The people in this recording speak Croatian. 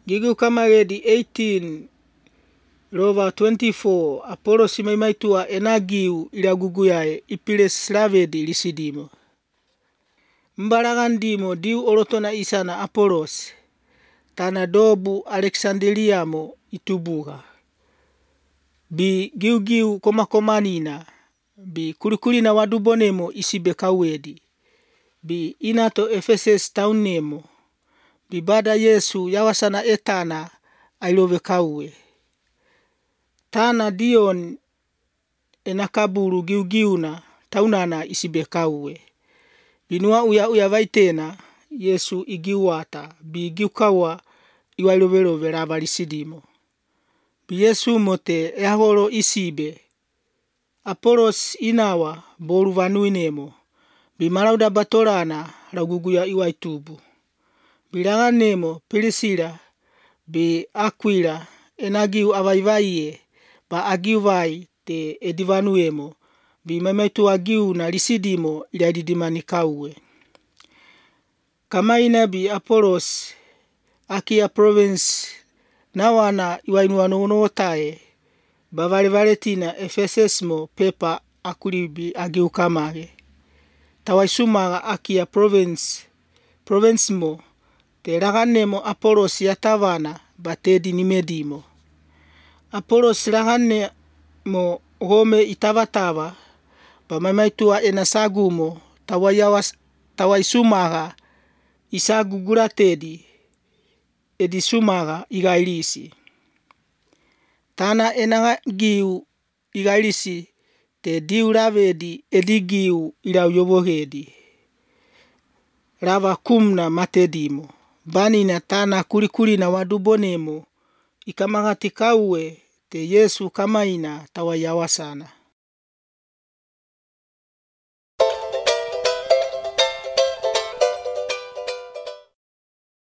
Gigu kamaredi 18 Rova 24 Apollos maimaitua enagiu iraguguyae ipiles lavedi lisidimo. Mbaragandimo diu orotona isana Apollos. Tana dobu Alexandriamo itubuga. Bi giu komakomanina. Bi kurikulina wadubonemo isibe kawedi. Bi inato Ephesus taunemo. Bi bada Yesu yawasana etana ailove kawe. Tana Dion enakaburu giugiuna taunana isibe kawe. Binua uya vaitena Yesu igiwata bi giukawa iwailovelove lavalisidimo. Bi Yesu mote eahoro isibe. Apollos inawa boru vanuinemo. Bi marauda batolana laguguya iwaitubu. Bilaganemo Pilisila bi Aquila enagiu avaivaiye ba agiuvai te edivanuemo bi maimaitu agiu na lisidimo ilaididimani kauwe. Kamaina bi Apollos Akia province nawana iwainuanotae bavalevaletina Ephesus pepa akulibi agiu kamage. Tawaisumaga Akia province mo te laganemo Apollos yatavana batedi nimedimo. Apollos laganemo gome itavatava bamaimaitua enasagumo tawaisumaga isagugulatedi edisumaga igailisi. Tana enagiu igailisi te diu lavedi edigiu ilauyovohedi. Lava kumna matedimo. Banina tana kurikulina wadubonemo ikamagati kauwe te Yesu kamaina tawayawasana.